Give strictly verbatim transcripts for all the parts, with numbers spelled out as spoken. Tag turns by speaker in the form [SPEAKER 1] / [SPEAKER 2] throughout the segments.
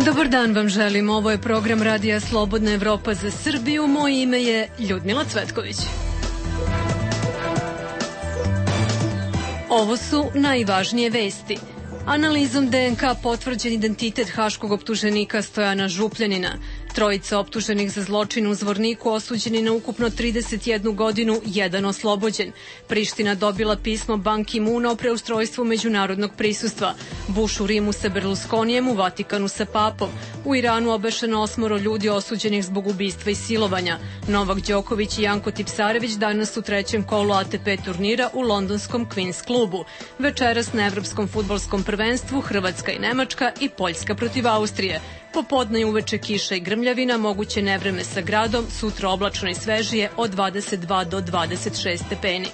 [SPEAKER 1] Dobar dan vam želim, ovo je program Radija Slobodna Evropa za Srbiju, moje ime je Ljudmila Cvetković. Ovo su najvažnije vesti. Analizom D N K potvrđen identitet haškog optuženika Stojana Župljanina. Trojica optuženih za zločin u Zvorniku osuđeni na ukupno trideset jednu godinu, jedan oslobođen. Priština dobila pismo Ban Ki-muna o preustrojstvu međunarodnog prisustva. Bush u Rimu sa Berlusconijem, u Vatikanu sa papom. U Iranu obešeno osmoro ljudi osuđenih zbog ubistva i silovanja. Novak Đoković i Janko Tipsarević danas u trećem kolu A T P turnira u londonskom Queen's klubu. Večeras na Evropskom fudbalskom prvenstvu Hrvatska i Nemačka i Poljska protiv Austrije. Popodne i uveče kiša i grmljavina, moguće nevreme sa gradom, sutra oblačno i svežije od dvadeset dva do dvadeset šest stepeni.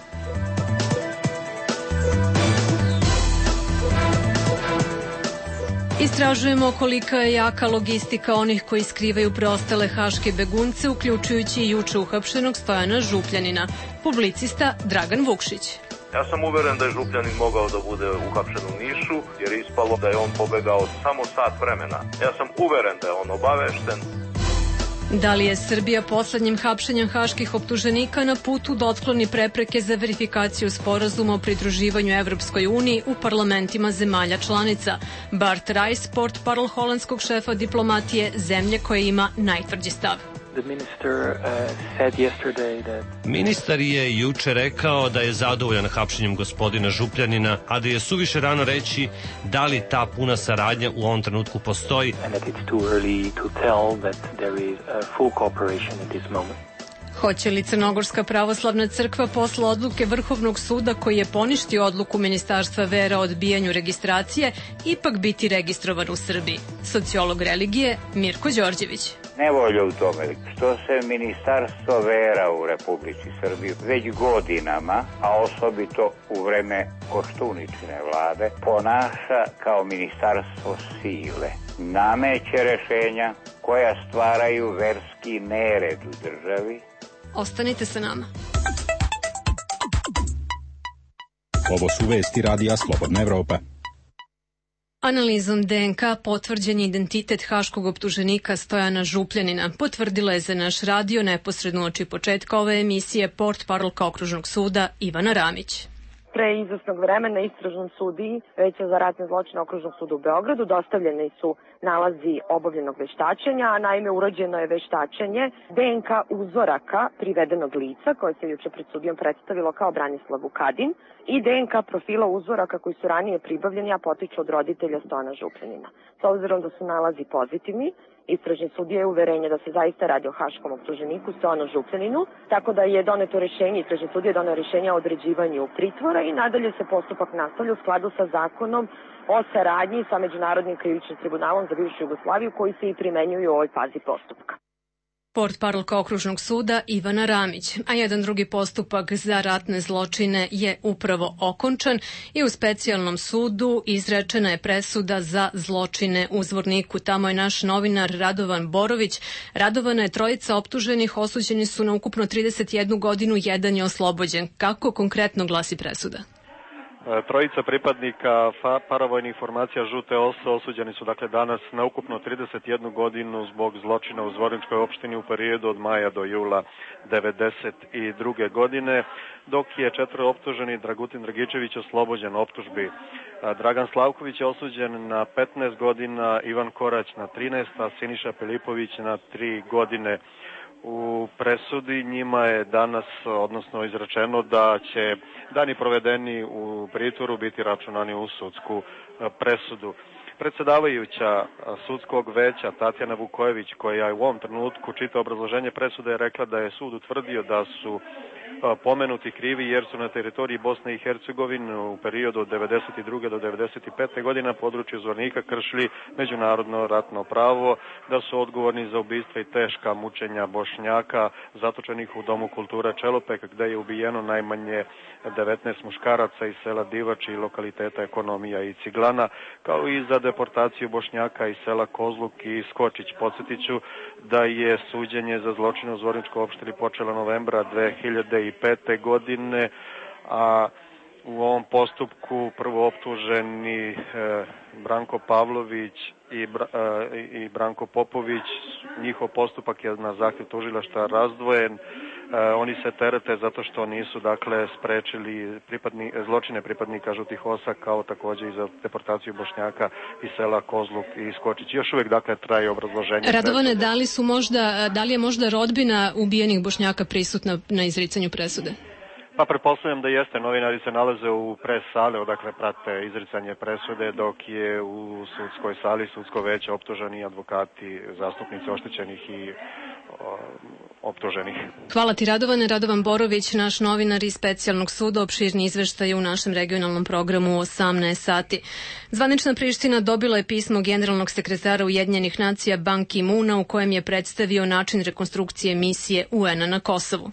[SPEAKER 1] Istražujemo kolika je jaka logistika onih koji skrivaju preostale haške begunce, uključujući i juče uhapšenog Stojana Župljanina. Publicista Dragan Vukšić.
[SPEAKER 2] Ja sam uveren da je Župljanin mogao da bude uhapšen u Nišu, jer je ispalo da je on pobegao samo sat vremena. Ja sam uveren da je on obavešten.
[SPEAKER 1] Da li je Srbija poslednjim hapšenjem haških optuženika na putu da otkloni prepreke za verifikaciju sporazuma o pridruživanju Evropskoj uniji u parlamentima zemalja članica? Bart Rajs, portparol holandskog šefa diplomatije, zemlje koja ima najtvrđi stav.
[SPEAKER 3] Ministar je juče rekao da je zadovoljan hapšenjem gospodina Župljanina, a da je suviše rano reći da li ta puna saradnja u ovom trenutku postoji.
[SPEAKER 1] Hoće li Crnogorska pravoslavna crkva posle odluke Vrhovnog suda koji je poništio odluku Ministarstva vera o odbijanju registracije ipak biti registrovan u Srbiji? Sociolog religije Mirko Đorđević.
[SPEAKER 4] Nevolja u tome što se Ministarstvo vera u Republici Srbiji već godinama, a osobito u vreme Koštuničine vlade, ponaša kao ministarstvo sile. Nameće rešenja koja stvaraju verski nered u državi.
[SPEAKER 1] Ostanite sa nama.
[SPEAKER 5] Ovo su vesti Radija Slobodna Evropa.
[SPEAKER 1] Analizom D N K potvrđen je identitet haškog optuženika Stojana Župljanina. Potvrdila je za naš radio neposredno uoči početka ove emisije portparolka Okružnog suda Ivana Ramić.
[SPEAKER 6] Pre izvesnog vremena istražnom sudiji Veća za ratne zločine Okružnog suda u Beogradu dostavljeni su nalazi obavljenog veštačenja, a naime urađeno je veštačenje D N K uzoraka privedenog lica koje se juče pred sudijom predstavilo kao Branislav Vukadin i D N K profila uzoraka koji su ranije pribavljeni, a potiču od roditelja Stojana Župljanina. S obzirom da su nalazi pozitivni, istražni sudija je uverenje da se zaista radi o haškom optuženiku Stojanu Župljaninu, tako da je doneto rešenje, istražni sudija je doneo rešenje o određivanju pritvora i nadalje se postupak nastavlja u skladu sa zakonom o saradnji sa Međunarodnim krivičnim tribunalom za bivšu Jugoslaviju koji se i primenjuju u ovoj fazi postupka.
[SPEAKER 1] Portparolka Okružnog suda Ivana Ramić, a jedan drugi postupak za ratne zločine je upravo okončan i u specijalnom sudu izrečena je presuda za zločine u Zvorniku. Tamo je naš novinar Radovan Borović. Radovana je trojica optuženih, osuđeni su na ukupno trideset jednu godinu, jedan je oslobođen. Kako konkretno glasi presuda?
[SPEAKER 7] Trojica pripadnika paravojnih formacija Žute Ose osuđeni su dakle danas na ukupno trideset jednu godinu zbog zločina u Zvorničkoj opštini u periodu od maja do jula devedeset druge godine, dok je četvoro optuženi Dragutin Dragičević oslobođen optužbi. Dragan Slavković je osuđen na petnaest godina, Ivan Korać na trinaest, a Siniša Filipović na tri godine. U presudi njima je danas, odnosno izrečeno da će dani provedeni u pritvoru biti računani u sudsku presudu. Predsedavajuća sudskog veća Tatjana Vukojević, koja je u ovom trenutku čita obrazloženje presude, je rekla da je sud utvrdio da su pomenuti krivi jer su na teritoriji Bosne i Hercegovine u periodu od devedeset druge do devedeset pete godine na području Zvornika kršili međunarodno ratno pravo, da su odgovorni za ubistva i teška mučenja Bošnjaka zatočenih u Domu kulture Čelopek, gde je ubijeno najmanje devetnaest muškaraca iz sela Divač i lokaliteta Ekonomija i Ciglana, kao i za deportaciju Bošnjaka iz sela Kozluk i Skočić. Podsjetiću da je suđenje za zločine u Zvorničkoj opštini počelo novembra dve hiljade pete godine, a u ovom postupku prvo optuženi Branko Pavlović i, i Branko Popović. Njihov postupak je na zahtjev tužilaštva razdvojen. Oni se terete zato što nisu dakle sprečili pripadni, zločine pripadnika žutih osa, kao takođe i za deportaciju Bošnjaka iz sela Kozluk i Skočić. Još uvijek dakle traje obrazloženje.
[SPEAKER 1] Radovane, da li su možda, da li je možda rodbina ubijenih Bošnjaka prisutna na izricanju presude?
[SPEAKER 7] Pa pretpostavljam da jeste. Novinari se nalaze u pres sale, odakle prate izricanje presude, dok je u sudskoj sali sudsko veće optuženi advokati, zastupnici oštećenih i o, optuženih.
[SPEAKER 1] Hvala ti, Radovane. Radovan Borović, naš novinar iz specijalnog suda, opširni izveštaj u našem regionalnom programu u osamnaest sati. Zvanična Priština dobila je pismo generalnog sekretara Ujedinjenih nacija Ban Ki-moona u kojem je predstavio način rekonstrukcije misije U N-a na Kosovu.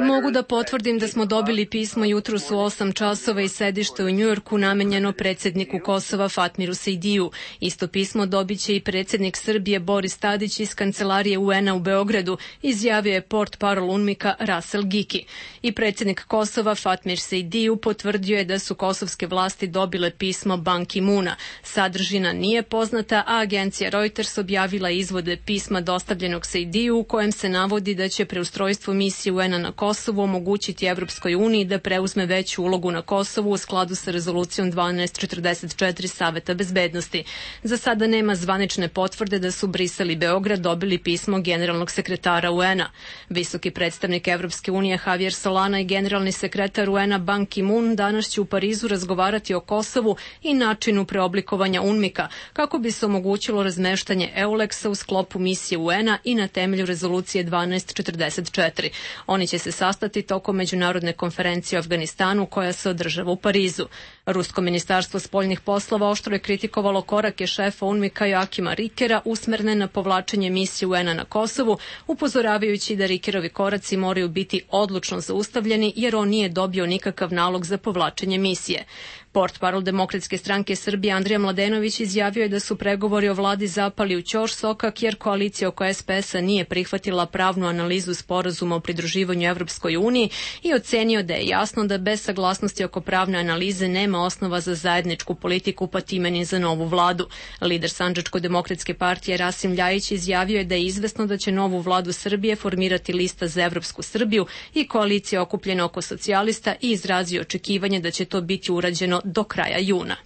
[SPEAKER 1] Mogu da potvrdim da smo dobili pismo jutros u osam časova iz sedišta u Njujorku namenjeno predsjedniku Kosova Fatmiru Sejdiju. Isto pismo dobit će i predsjednik Srbije Boris Tadić iz kancelarije U N-a u Beogradu, izjavio je portparol UNMIK-a Rasel Giki. I predsjednik Kosova Fatmir Sejdiju potvrdio je da su kosovske vlasti dobile pismo Ban Ki-moona. Sadržina nije poznata, a agencija Reuters objavila izvode pisma dostavljenog Sejdiju u kojem se navodi da će preustrojstvo misije U N-a na Kosovu omogućiti Evropskoj uniji da preuzme veću ulogu na Kosovu u skladu sa rezolucijom dvanaest četrdeset četiri Saveta bezbednosti. Za sada nema zvanične potvrde da su Brisel i Beograd dobili pismo generalnog sekretara U N-a. Visoki predstavnik Evropske unije Javier Solana i generalni sekretar U N-a Ban Ki-moon danas će u Parizu razgovarati o Kosovu i načinu preoblikovanja UNMIK-a, kako bi se omogućilo razmeštanje EULEX-a u sklopu misije U N-a i na temelju rezolucije dvanaest četrdeset četiri. Oni će se sastati tokom međunarodne konferencije o Afganistanu koja se održava u Parizu. Rusko ministarstvo spoljnih poslova oštro je kritikovalo korake šefa UNMIK-a Joakima Rikera usmerne na povlačenje misije U N-a na Kosovu, upozoravajući da Rikerovi koraci moraju biti odlučno zaustavljeni jer on nije dobio nikakav nalog za povlačenje misije. Portparol Demokratske stranke Srbije Andrija Mladenović izjavio je da su pregovori o vladi zapali u ćorsokak jer koalicija oko S P S-a nije prihvatila pravnu analizu sporazuma o pridruživanju Evropskoj uniji i ocenio da je jasno da bez saglasnosti oko pravne analize nema osnova za zajedničku politiku pa time ni za novu vladu. Lider Sandžačko-demokratske partije Rasim Ljajić izjavio je da je izvesno da će novu vladu Srbije formirati lista za Evropsku Srbiju i koalicija okupljena oko socijalista i izrazio očekivanje da će to biti urađeno do kraja juna.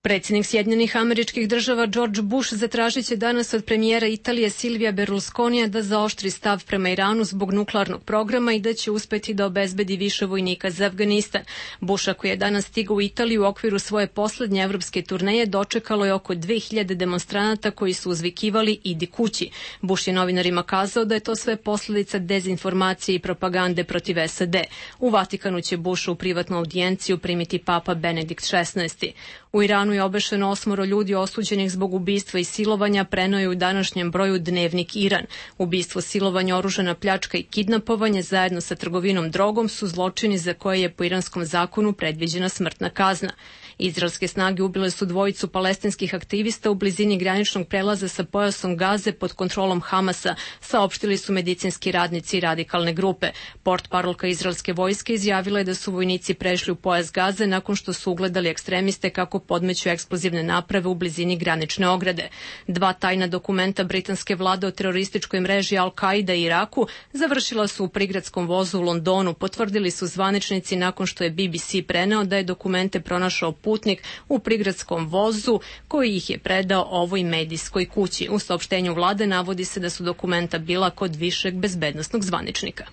[SPEAKER 1] Predsjednik Sjedinjenih Američkih Država George Bush zatražit će danas od premijera Italije Silvija Berlusconija da zaoštri stav prema Iranu zbog nuklearnog programa i da će uspeti da obezbedi više vojnika za Afganistan. Busha, koji je danas stigao u Italiju u okviru svoje poslednje evropske turneje, dočekalo je oko dve hiljade demonstranata koji su uzvikivali idi kući. Bush je novinarima kazao da je to sve posledica dezinformacije i propagande protiv S A D. U Vatikanu će Bush u privatnu audijenciju primiti papa Benedikt šesnaesti. U Iranu je obešeno osmoro ljudi osuđenih zbog ubistva i silovanja, preneo je u današnjem broju Dnevnik Iran. Ubistvo, silovanje, oružana pljačka i kidnapovanje zajedno sa trgovinom drogom su zločini za koje je po iranskom zakonu predviđena smrtna kazna. Izraelske snage ubile su dvojicu palestinskih aktivista u blizini graničnog prelaza sa pojasom Gaze pod kontrolom Hamasa, saopštili su medicinski radnici i radikalne grupe. Portparolka izraelske vojske izjavila je da su vojnici prešli u pojas Gaze nakon što su ugledali ekstremiste kako podmeću eksplozivne naprave u blizini granične ograde. Dva tajna dokumenta britanske vlade o terorističkoj mreži Al-Qaida i Iraku završila su u prigradskom vozu u Londonu, potvrdili su zvaničnici nakon što je B B C preneo da je dokumente pronašao putnik u prigradskom vozu koji ih je predao ovoj medijskoj kući. U saopštenju vlade navodi se da su dokumenta bila kod višeg bezbednosnog zvaničnika.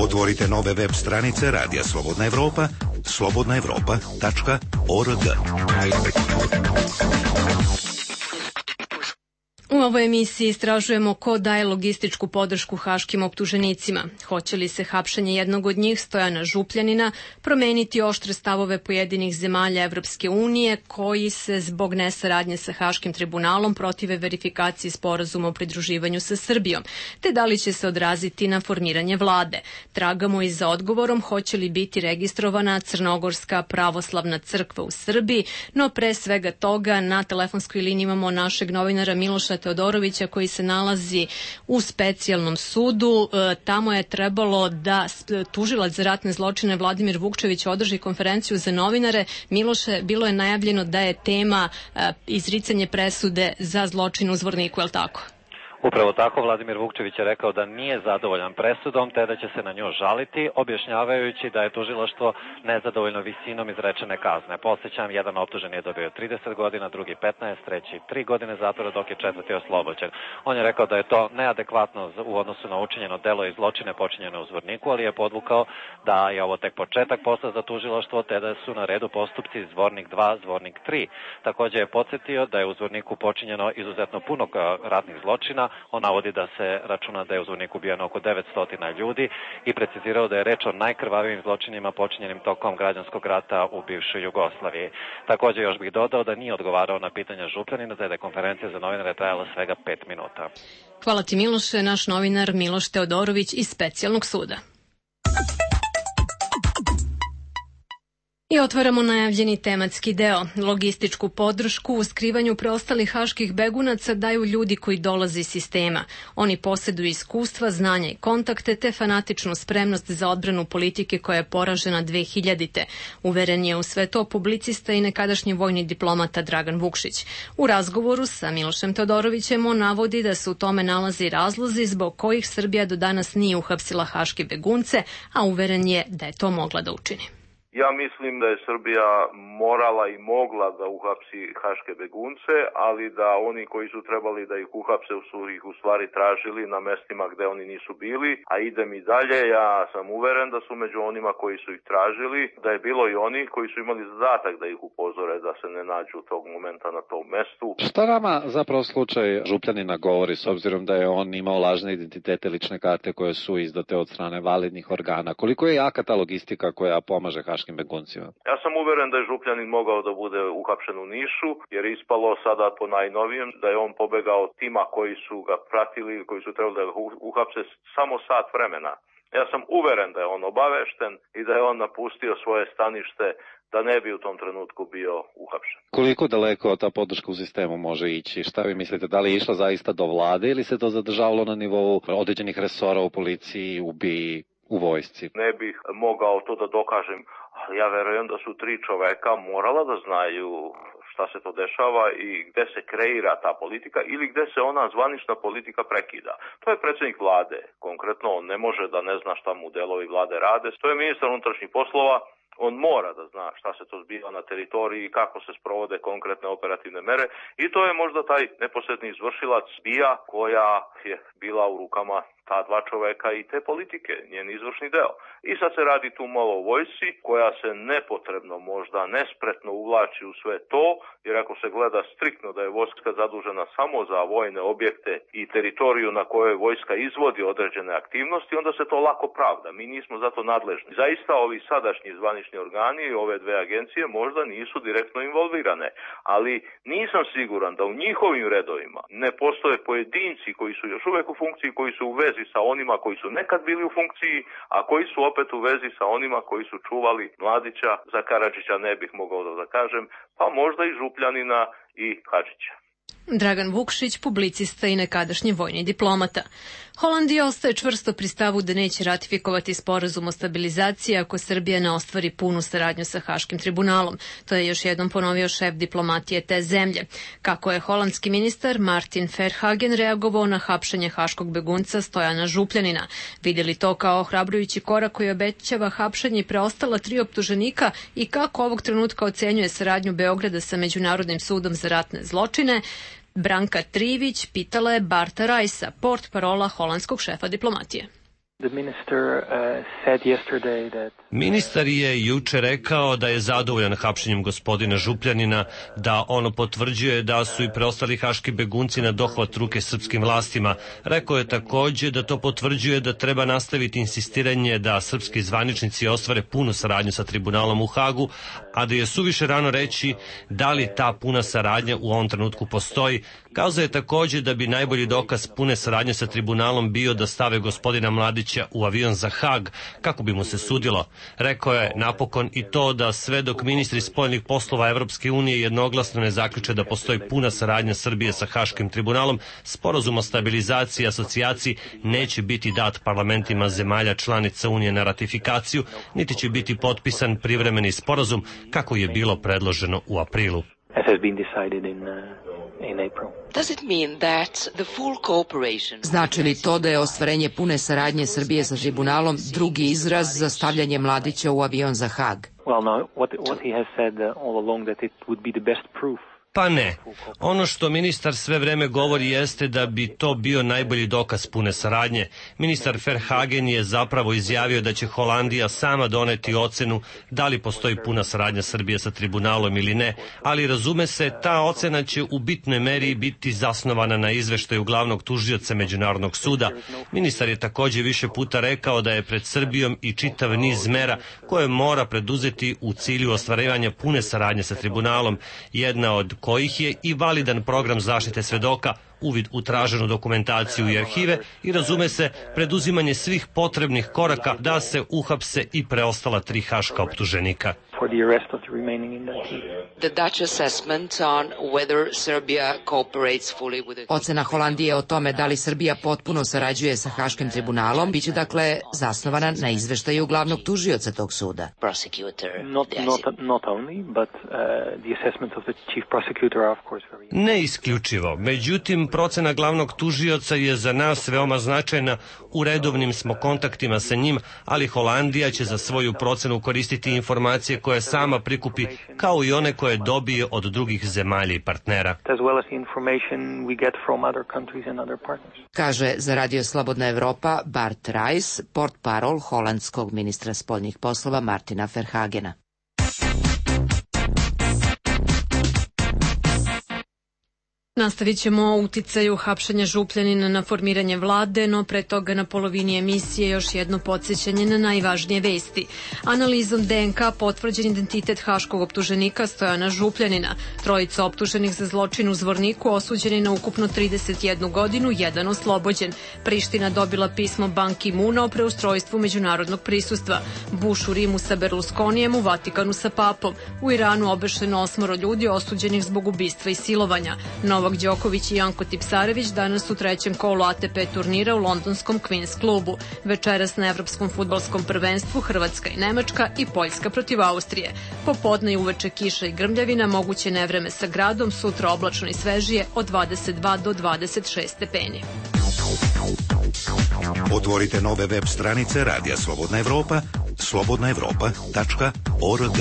[SPEAKER 8] Otvorite nove web stranice Radija Slobodna Evropa, slobodna evropa tačka org.
[SPEAKER 1] U ovoj emisiji istražujemo ko daje logističku podršku haškim optuženicima. Hoće li se hapšenje jednog od njih, Stojana Župljanina, promeniti oštre stavove pojedinih zemalja Evropske unije koji se zbog nesaradnje sa Haškim tribunalom protive verifikaciji sporazuma o pridruživanju sa Srbijom, te da li će se odraziti na formiranje vlade. Tragamo i za odgovorom hoće li biti registrovana Crnogorska pravoslavna crkva u Srbiji, no pre svega toga na telefonskoj liniji imamo našeg novinara Miloša Teodorovića koji se nalazi u specijalnom sudu. Tamo je trebalo da tužilac za ratne zločine Vladimir Vukčević održi konferenciju za novinare. Miloše, bilo je najavljeno da je tema izricanje presude za zločin u Zvorniku, je li tako?
[SPEAKER 9] Upravo tako, Vladimir Vukčević je rekao da nije zadovoljan presudom, te da će se na nju žaliti, objašnjavajući da je tužilaštvo nezadovoljno visinom izrečene kazne. Posjećam, jedan optužen je dobio trideset godina, drugi petnaest, treći tri godine zatvora, dok je četvrti oslobođen. On je rekao da je to neadekvatno u odnosu na učinjeno delo i zločine počinjene u Zvorniku, ali je podvukao da je ovo tek početak posla za tužilaštvo, te da su na redu postupci Zvornik dva, Zvornik tri. Također je podsjetio da je u Zvorniku počinjeno izuzetno puno ratnih zločina. On navodi da se računa da je u Zvorniku ubijeno oko devetsto ljudi i precizirao da je reč o najkrvavijim zločinima počinjenim tokom građanskog rata u bivšoj Jugoslaviji. Također još bih dodao da nije odgovarao na pitanja Župljanina, da je konferencija za novinare trajala svega pet minuta.
[SPEAKER 1] Hvala ti, Miloše, naš novinar Miloš Teodorović iz specijalnog suda. I otvaramo najavljeni tematski deo. Logističku podršku u skrivanju preostalih haških begunaca daju ljudi koji dolaze iz sistema. Oni posjeduju iskustva, znanja i kontakte te fanatičnu spremnost za odbranu politike koja je poražena dve hiljadite. Uveren je u sve to publicista i nekadašnji vojni diplomata Dragan Vukšić. U razgovoru sa Milošem Teodorovićem on navodi da se u tome nalazi razlozi zbog kojih Srbija do danas nije uhapsila haške begunce, a uveren je da je to mogla da učini.
[SPEAKER 2] Ja mislim da je Srbija morala i mogla da uhapsi haške begunce, ali da oni koji su trebali da ih uhapse su ih u stvari tražili na mestima gde oni nisu bili, a idem i dalje, ja sam uveren da su među onima koji su ih tražili, da je bilo i oni koji su imali zadatak da ih upozore da se ne nađu tog momenta na tom mestu.
[SPEAKER 10] Šta vama zapravo slučaj Župljanina govori, s obzirom da je on imao lažne identitete, lične karte koje su izdate od strane validnih organa? Koliko je jaka ta logistika koja pomaže haškim beguncima?
[SPEAKER 2] Ja sam uveren da je Župljanin mogao da bude uhapšen u Nišu, jer je ispalo sada po najnovijem da je on pobegao od tima koji su ga pratili, koji su trebali da ga uhapse samo sat vremena. Ja sam uveren da je on obavešten i da je on napustio svoje stanište da ne bi u tom trenutku bio uhapšen.
[SPEAKER 10] Koliko daleko ta podrška u sistemu može ići? Šta vi mislite, da li je išla zaista do vlade ili se to zadržavalo na nivou određenih resora u policiji, u B I A, u vojsci?
[SPEAKER 2] Ne bih mogao to da dokažem, ali ja verujem da su tri čoveka morala da znaju šta se to dešava i gde se kreira ta politika ili gde se ona zvanična politika prekida. To je predsjednik vlade. Konkretno, on ne može da ne zna šta mu delovi vlade rade. To je ministar unutrašnjih poslova. On mora da zna šta se to zbiva na teritoriji i kako se sprovode konkretne operativne mere i to je možda taj neposredni izvršilac B I A koja je bila u rukama ta dva čoveka i te politike, njen izvršni deo. I sad se radi tu malo o vojsci koja se nepotrebno možda nespretno uvlači u sve to, jer ako se gleda striktno da je vojska zadužena samo za vojne objekte i teritoriju na kojoj vojska izvodi određene aktivnosti, onda se to lako pravda. Mi nismo zato nadležni. Zaista ovi sadašnji zvanični organi i ove dve agencije možda nisu direktno involvirane, ali nisam siguran da u njihovim redovima ne postoje pojedinci koji su još uvek u funkciji, koji su u vezi sa onima koji su nekad bili u funkciji, a koji su opet u vezi sa onima koji su čuvali Mladića. Za Karadžića ne bih mogao da kažem, pa možda i Župljanina i Hadžića.
[SPEAKER 1] Dragan Vukšić, publicista i nekadašnji vojni diplomata. Holandija ostaje čvrsto pri stavu da neće ratifikovati sporazum o stabilizaciji ako Srbija ne ostvari punu saradnju sa Haškim tribunalom. To je još jednom ponovio šef diplomatije te zemlje. Kako je holandski ministar Martin Verhagen reagovao na hapšenje haškog begunca Stojana Župljanina. Vidjeli to kao ohrabrujući korak koji obećava hapšenje preostala tri optuženika i kako ovog trenutka ocenjuje saradnju Beograda sa Međunarodnim sudom za ratne zločine, Branka Trivić pitala je Barta Rajsa, portparola holandskog šefa diplomatije.
[SPEAKER 3] Ministar je juče rekao da je zadovoljan hapšenjem gospodina Župljanina, da ono potvrđuje da su i preostali haški begunci na dohvat ruke srpskim vlastima. Rekao je također da to potvrđuje da treba nastaviti insistiranje da srpski zvaničnici ostvare punu saradnju sa tribunalom u Hagu, a da je suviše rano reći da li ta puna saradnja u ovom trenutku postoji. Kazao je također da bi najbolji dokaz pune saradnje sa tribunalom bio da stave gospodina Mladića Mladića u avion za Hag kako bi mu se sudilo. Rekao je napokon i to da sve dok ministri spoljnih poslova Evropske unije jednoglasno ne zaključe da postoji puna saradnja Srbije sa Haškim tribunalom, sporazum o stabilizaciji i asocijaciji neće biti dat parlamentima zemalja članica Unije na ratifikaciju, niti će biti potpisan privremeni sporazum kako je bilo predloženo u aprilu.
[SPEAKER 11] Znači li to da je ostvarenje pune saradnje Srbije sa tribunalom drugi izraz za stavljanje Mladića u avion za Hag?
[SPEAKER 3] Pa ne. Ono što ministar sve vreme govori jeste da bi to bio najbolji dokaz pune saradnje. Ministar Verhagen je zapravo izjavio da će Holandija sama doneti ocenu da li postoji puna saradnja Srbije sa tribunalom ili ne, ali razume se, ta ocena će u bitnoj meri biti zasnovana na izveštaju glavnog tužioca Međunarodnog suda. Ministar je također više puta rekao da je pred Srbijom i čitav niz mera koje mora preduzeti u cilju ostvarivanja pune saradnje sa tribunalom, jedna od kojih je i validan program zaštite svedoka, uvid u traženu dokumentaciju i arhive i, razume se, preduzimanje svih potrebnih koraka da se uhapse i preostala tri haška optuženika.
[SPEAKER 11] Ocena Holandije o tome da li Srbija potpuno sarađuje sa Haškim tribunalom biće dakle zasnovana na izveštaju glavnog tužioca tog suda.
[SPEAKER 3] Ne isključivo. Međutim, procena glavnog tužioca je za nas veoma značajna. U redovnim smo kontaktima sa njim, ali Holandija će za svoju procenu koristiti informacije koje sama prikupi, kao i one koje dobije od drugih zemalja i partnera.
[SPEAKER 11] Kaže za Radio Slobodna Evropa Bart Rijs, portparol holandskog ministra spoljnih poslova Martina Verhagena.
[SPEAKER 1] Nastavit ćemo o uticaju hapšenja Župljanina na formiranje vlade, no pre toga na polovini emisije još jedno podsjećanje na najvažnije vesti. Analizom D N K potvrđen identitet haškog optuženika Stojana Župljanina. Trojica optuženih za zločin u Zvorniku osuđeni na ukupno trideset jednu godinu, jedan oslobođen. Priština dobila pismo Ban Ki-muna o preustrojstvu međunarodnog prisustva. Bush u Rimu sa Berlusconijem, u Vatikanu sa papom. U Iranu obešeno osmoro ljudi osuđenih zbog ubistva i silovanja. Novak Đoković i Janko Tipsarević danas u trećem kolu A T P turnira u londonskom Queen's klubu. Večeras na evropskom fudbalskom prvenstvu Hrvatska i Nemačka i Poljska protiv Austrije. Popodne i uveče kiša i grmljavina, moguće nevreme sa gradom, sutra oblačno i svežije od dvadeset dva do dvadeset šest stepeni.
[SPEAKER 8] Otvorite nove web stranice Radija Slobodna Evropa, slobodna evropa tačka org.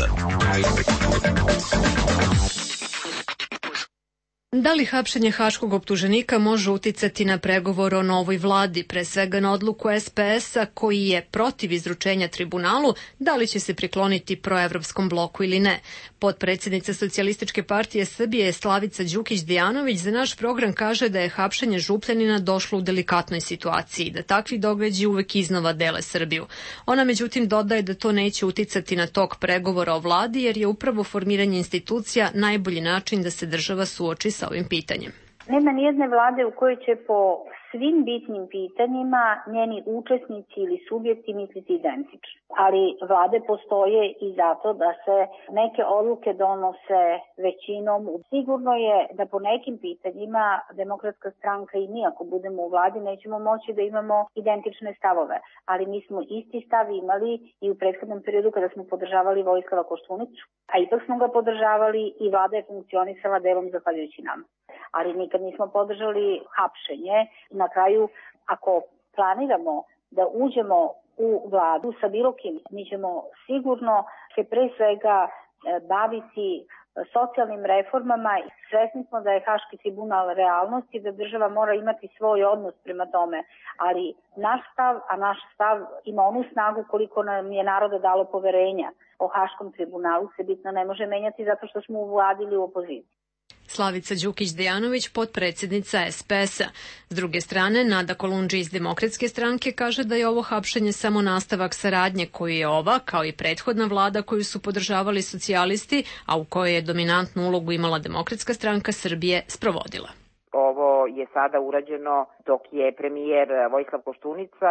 [SPEAKER 1] Da li hapšenje haškog optuženika može uticati na pregovor o novoj vladi, pre svega na odluku S P S-a koji je protiv izručenja tribunalu, da li će se prikloniti proevropskom bloku ili ne? Potpredsjednica Socijalističke partije Srbije Slavica Đukić-Dejanović za naš program kaže da je hapšenje Župljanina došlo u delikatnoj situaciji, da takvi događaji uvek iznova dele Srbiju. Ona međutim dodaje da to neće uticati na tok pregovora o vladi, jer je upravo formiranje institucija najbolji način da se država suoči sa ovim pitanjem.
[SPEAKER 12] Nema nijedne vlade u kojoj će po svim bitnim pitanjima njeni učesnici ili subjekti misliti identično. Ali vlade postoje i zato da se neke odluke donose većinom. Sigurno je da po nekim pitanjima Demokratska stranka i mi, ako budemo u vladi, nećemo moći da imamo identične stavove. Ali mi smo isti stav imali i u prethodnom periodu kada smo podržavali Vojislava Koštunicu, a ipak smo ga podržavali i vlada je funkcionisala delom zahvaljujući nama. Ali nikad nismo podržali hapšenje. Na kraju, ako planiramo da uđemo u vladu sa bilo kim, mi ćemo sigurno se pre svega baviti socijalnim reformama. Svesni smo da je Haški tribunal realnost i da država mora imati svoj odnos prema tome, ali naš stav, a naš stav ima onu snagu koliko nam je naroda dalo poverenja o Haškom tribunalu, se bitno ne može menjati zato što smo u vladi ili u opoziciji.
[SPEAKER 1] Slavica Đukić-Dejanović, potpredsjednica S P S-a. S druge strane, Nada Kolundži iz Demokratske stranke kaže da je ovo hapšenje samo nastavak saradnje koju je ova, kao i prethodna vlada koju su podržavali socijalisti, a u kojoj je dominantnu ulogu imala Demokratska stranka Srbije, sprovodila.
[SPEAKER 13] Ovo je sada urađeno dok je premijer Vojislav Koštunica,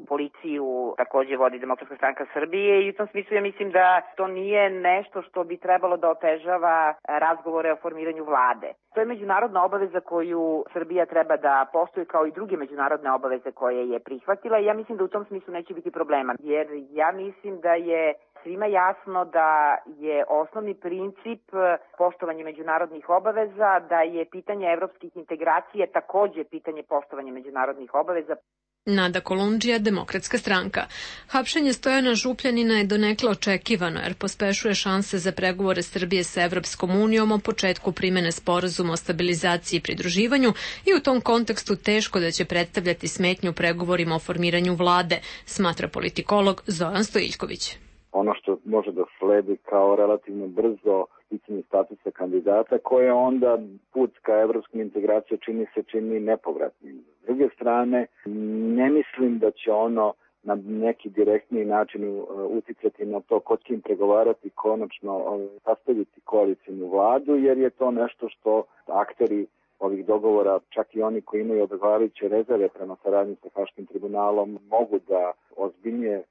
[SPEAKER 13] policiju takođe vodi Demokratska stranka Srbije i u tom smislu ja mislim da to nije nešto što bi trebalo da otežava razgovore o formiranju vlade. To je međunarodna obaveza koju Srbija treba da poštuje kao i druge međunarodne obaveze koje je prihvatila i ja mislim da u tom smislu neće biti problema, jer ja mislim da je svima jasno da je osnovni princip poštovanje međunarodnih obaveza, da je pitanje evropskih integracija takođe pitanje poštovanja međunarodnih obaveza.
[SPEAKER 1] Nada Kolundžija, Demokratska stranka. Hapšenje Stojana Župljanina je donekle očekivano jer pospešuje šanse za pregovore Srbije sa Evropskom unijom o početku primene sporazuma o stabilizaciji i pridruživanju i u tom kontekstu teško da će predstavljati smetnju pregovorima o formiranju vlade, smatra politikolog Zoran Stojiljković.
[SPEAKER 14] Ono što može da sledi kao relativno brzo sticanje statusa kandidata, koje onda put ka evropskim integracijama čini se čini nepovratnim. S druge strane, ne mislim da će ono na neki direktniji način uticati na to ko će im pregovarati, konačno sastaviti koalicijnu vladu, jer je to nešto što akteri ovih dogovora, čak i oni koji imaju odgovarajuće rezerve prema saradnji sa Haškim tribunalom, mogu da ozbiljnije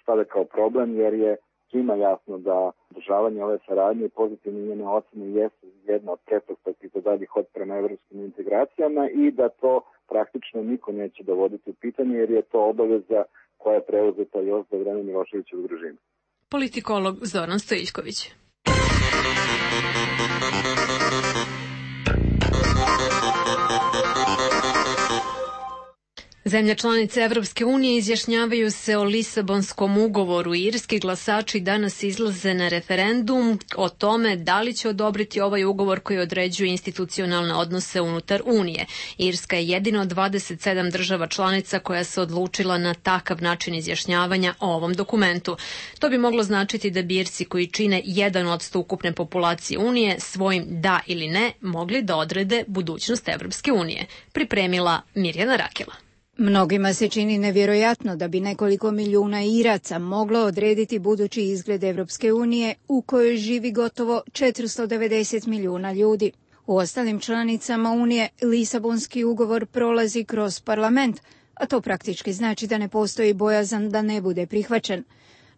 [SPEAKER 14] stave kao problem, jer je svima jasno da održavanje ove saradnje i pozitivne njene ocene jesu jedna od pretpostavki za dalji hod prema evropskim integracijama i da to praktično niko neće dovoditi u pitanje, jer je to obaveza koja je preuzeta još za vreme Miloševićevog režima.
[SPEAKER 1] Politikolog Zoran Stojiljković. Zemlje članice Evropske unije izjašnjavaju se o Lisabonskom ugovoru. Irski glasači danas izlaze na referendum o tome da li će odobriti ovaj ugovor koji određuje institucionalne odnose unutar Unije. Irska je jedina od dvadeset sedam država članica koja se odlučila na takav način izjašnjavanja o ovom dokumentu. To bi moglo značiti da bi Irci koji čine jedan odsto ukupne populacije Unije svojim da ili ne mogli da odrede budućnost Evropske unije. Pripremila Mirjana Rakela.
[SPEAKER 15] Mnogima se čini nevjerojatno da bi nekoliko milijuna Iraca moglo odrediti budući izgled Evropske unije u kojoj živi gotovo četiristo devedeset milijuna ljudi. U ostalim članicama Unije Lisabonski ugovor prolazi kroz parlament, a to praktički znači da ne postoji bojazan da ne bude prihvaćen.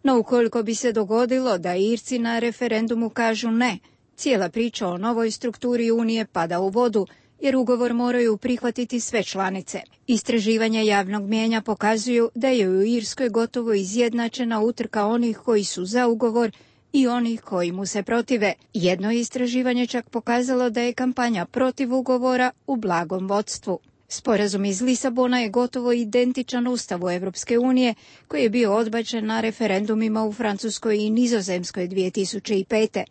[SPEAKER 15] No ukoliko bi se dogodilo da Irci na referendumu kažu ne, cijela priča o novoj strukturi Unije pada u vodu, jer ugovor moraju prihvatiti sve članice. Istraživanja javnog mijenja pokazuju da je u Irskoj gotovo izjednačena utrka onih koji su za ugovor i onih koji mu se protive. Jedno istraživanje čak pokazalo da je kampanja protiv ugovora u blagom vodstvu. Sporazum iz Lisabona je gotovo identičan Ustavu Evropske unije, koji je bio odbačen na referendumima u Francuskoj i Nizozemskoj dvije tisuće pete.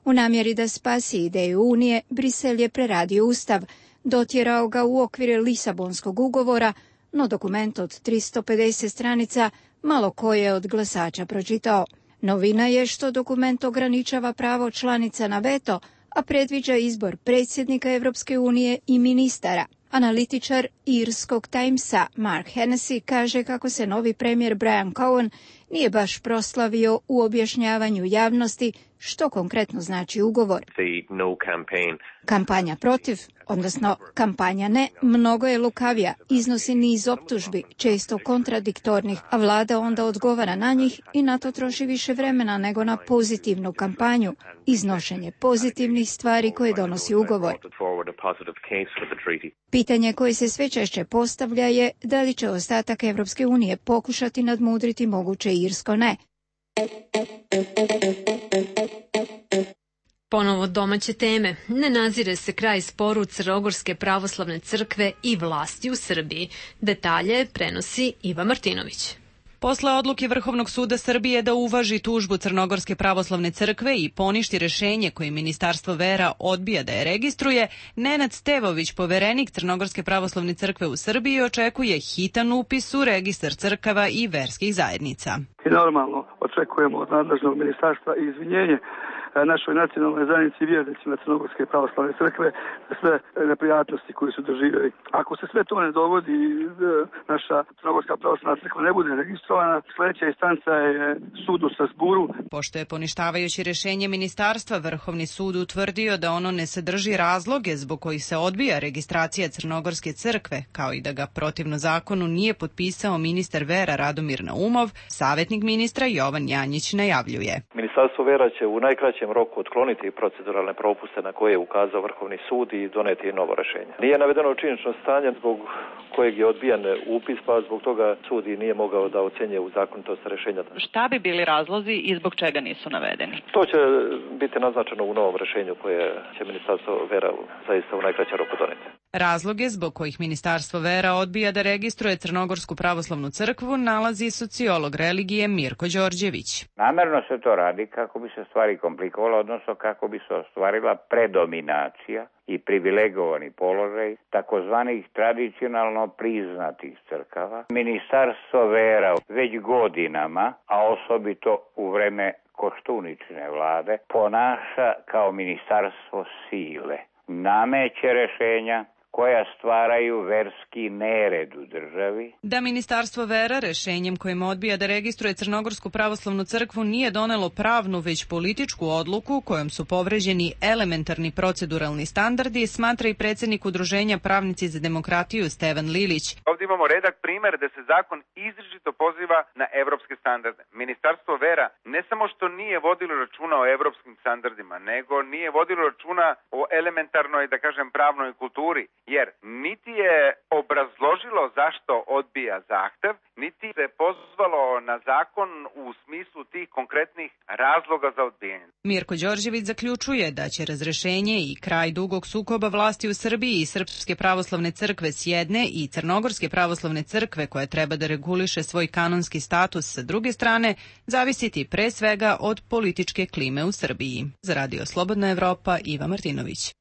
[SPEAKER 15] U namjeri da spasi ideju Unije, Brisel je preradio Ustav, dotjerao ga u okvire Lisabonskog ugovora, no dokument od tristo pedeset stranica malo ko je od glasača pročitao. Novina je što dokument ograničava pravo članica na veto, a predviđa izbor predsjednika Evropske unije i ministara. Analitičar irskog Timesa Mark Hennessy kaže kako se novi premijer Brian Cowen nije baš proslavio u objašnjavanju javnosti što konkretno znači ugovor.
[SPEAKER 16] No
[SPEAKER 15] Kampanja protiv, odnosno kampanja ne, mnogo je lukavija, iznosi niz optužbi, često kontradiktornih, a vlada onda odgovara na njih i na to troši više vremena nego na pozitivnu kampanju, iznošenje pozitivnih stvari koje donosi ugovor. Pitanje koje se sve češće postavlja je da li će ostatak Evropske unije pokušati nadmudriti moguće irsko ne.
[SPEAKER 1] Ponovo domaće teme. Ne nazire se kraj sporu Crnogorske pravoslavne crkve i vlasti u Srbiji. Detalje prenosi Iva Martinović.
[SPEAKER 17] Posle odluke Vrhovnog suda Srbije da uvaži tužbu Crnogorske pravoslavne crkve i poništi rešenje koje Ministarstvo vera odbija da je registruje, Nenad Stevović, poverenik Crnogorske pravoslavne crkve u Srbiji, očekuje hitan upis u registar crkava i verskih zajednica.
[SPEAKER 18] I normalno očekujemo od nadležnog ministarstva i izvinjenje
[SPEAKER 16] našoj nacionalnoj zajednici i vjernicima Crnogorske pravoslavne crkve za sve neprijatnosti koje su doživjeli. Ako se sve to ne dogodi, naša Crnogorska pravoslavna crkva ne bude registrovana, sljedeća instanca je sud u Strasburu.
[SPEAKER 17] Pošto je poništavajući rješenje ministarstva, Vrhovni sud utvrdio da ono ne sadrži razloge zbog kojih se odbija registracija Crnogorske crkve, kao i da ga protivno zakonu nije potpisao ministar vera Radomir Naumov, savjetnik ministra Jovan Janjić najavljuje.
[SPEAKER 18] Ministarstvo vera će u najkraćem roku otkloniti proceduralne propuste na koje je ukazao Vrhovni sud i doneti novo rješenje. Nije navedeno činjenično stanje zbog kojeg je odbijan upis, pa zbog toga sud i nije mogao da ocjenjuje u zakonitost rješenja.
[SPEAKER 17] Šta bi bili razlozi i zbog čega nisu navedeni?
[SPEAKER 18] To će biti naznačeno u novom rješenju koje će Ministarstvo vera zaista u najkraćem roku doneti.
[SPEAKER 17] Razloge zbog kojih Ministarstvo vera odbija da registruje Crnogorsku pravoslavnu crkvu nalazi sociolog religije Mirko Đorđević.
[SPEAKER 4] Namerno se to radi kako bi se stvari komplikovalo, odnosno kako bi se ostvarila predominacija i privilegovani položaj takozvanih tradicionalno priznatih crkava. Ministarstvo vera već godinama, a osobito u vreme Koštuničine vlade, ponaša kao ministarstvo sile. Nameće rješenja koja stvaraju verski nered u državi.
[SPEAKER 17] Da Ministarstvo vera rješenjem kojim odbija da registruje Crnogorsku pravoslavnu crkvu nije donelo pravnu već političku odluku kojom su povređeni elementarni proceduralni standardi, smatra i predsjednik Udruženja Pravnici za demokratiju Stevan Lilić.
[SPEAKER 19] Ovdje imamo redak primjer da se zakon izričito poziva na evropske standarde. Ministarstvo vera ne samo što nije vodilo računa o evropskim standardima, nego nije vodilo računa o elementarnoj, da kažem, pravnoj kulturi. Jer niti je obrazložilo zašto odbija zahtev, niti se pozvalo na zakon u smislu tih konkretnih razloga za odbijanje.
[SPEAKER 17] Mirko Đorđević zaključuje da će razrešenje i kraj dugog sukoba vlasti u Srbiji i Srpske pravoslavne crkve s jedne i Crnogorske pravoslavne crkve koja treba da reguliše svoj kanonski status sa druge strane, zavisiti pre svega od političke klime u Srbiji. Za Radio Slobodna Evropa, Iva Martinović.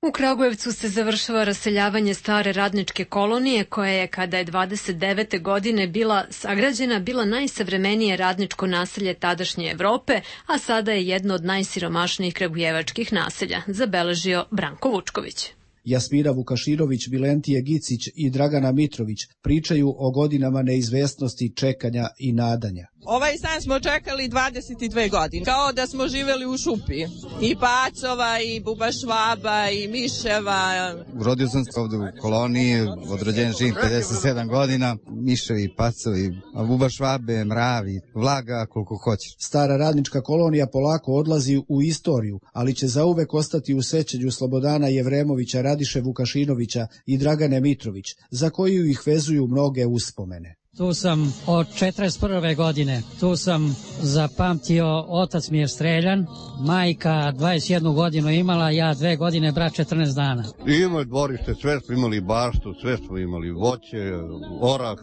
[SPEAKER 1] U Kragujevcu se završava raseljavanje stare radničke kolonije koja je, kada je dvadeset devete godine bila sagrađena, bila najsavremenije radničko naselje tadašnje Evrope, a sada je jedno od najsiromašnijih kragujevačkih naselja, zabeležio Branko Vučković.
[SPEAKER 20] Jasmina Vukaširović, Bilentije Gicić i Dragana Mitrović pričaju o godinama neizvesnosti, čekanja i nadanja.
[SPEAKER 21] Ovaj san smo čekali dvadeset dve godine, kao da smo živjeli u šupi. I pacova, i bubašvaba, i miševa.
[SPEAKER 22] Rodio sam se ovdje u koloniji, od rođenja živim pedeset sedam godina, miševi, pacovi, bubašvabe, mravi, vlaga koliko hoćeš.
[SPEAKER 20] Stara radnička kolonija polako odlazi u istoriju, ali će zauvek ostati u sećanju Slobodana Jevremovića, Radiše Vukašinovića i Dragane Mitrović, za koju ih vezuju mnoge uspomene.
[SPEAKER 23] Tu sam od četrdeset prve godine, tu sam zapamtio, otac mi je streljan, majka dvadeset jednu godinu imala, ja dve godine, brat četrnaest dana.
[SPEAKER 24] Imali dvorište, sve smo imali baštu, sve smo imali voće, orah,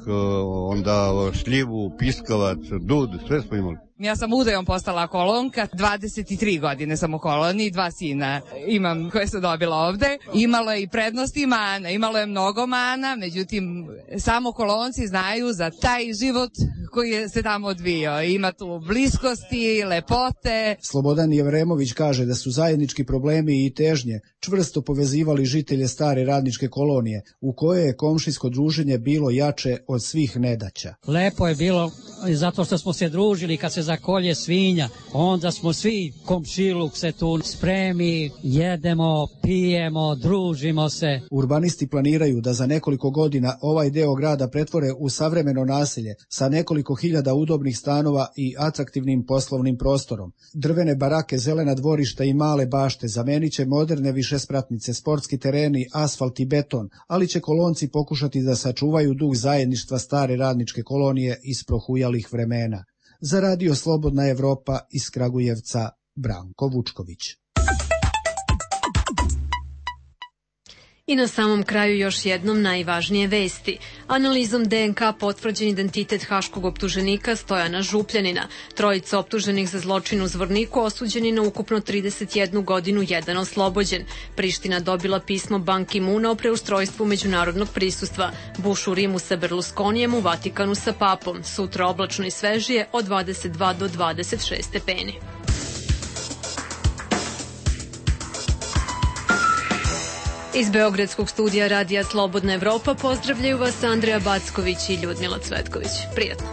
[SPEAKER 24] onda šljivu, piskavac, dud, sve smo imali.
[SPEAKER 21] Ja sam udajom postala kolonka, dvadeset tri godine sam u koloniji, dva sina imam koje sam dobila ovde. Imalo je i prednosti i mana, imalo je mnogo mana, međutim samo kolonci znaju za taj život koji se tamo odvijao. Ima tu bliskosti, lepote.
[SPEAKER 20] Slobodan Jevremović kaže da su zajednički problemi i težnje čvrsto povezivali žitelje stare radničke kolonije, u kojoj je komšijsko druženje bilo jače od svih nedaća.
[SPEAKER 23] Lepo je bilo zato što smo se družili kad se zakolje svinja, onda smo svi komšiluk se tu spremi, jedemo, pijemo, družimo se.
[SPEAKER 20] Urbanisti planiraju da za nekoliko godina ovaj deo grada pretvore u savremeno naselje sa nekoliko hiljada udobnih stanova i atraktivnim poslovnim prostorom. Drvene barake, zelena dvorišta i male bašte zamenit će moderne višespratnice, sportski tereni, asfalt i beton, ali će kolonci pokušati da sačuvaju duh zajedništva stare radničke kolonije iz prohujalih vremena. Za Radio Slobodna Evropa iz Kragujevca, Branko Vučković.
[SPEAKER 1] I na samom kraju još jednom najvažnije vesti. Analizom de en ka potvrđen identitet haškog optuženika Stojana Župljanina. Trojica optuženih za zločin u Zvorniku osuđeni na ukupno trideset jednu godinu, jedan oslobođen. Priština dobila pismo Ban Ki-muna o preustrojstvu međunarodnog prisustva. Bush u Rimu sa Berlusconijem, u Vatikanu sa papom. Sutra oblačno i svežije od dvadeset dva do dvadeset šest stepeni. Iz Beogradskog studija Radija Slobodna Evropa pozdravljaju vas Andreja Backović i Ljudmila Cvetković. Prijatno.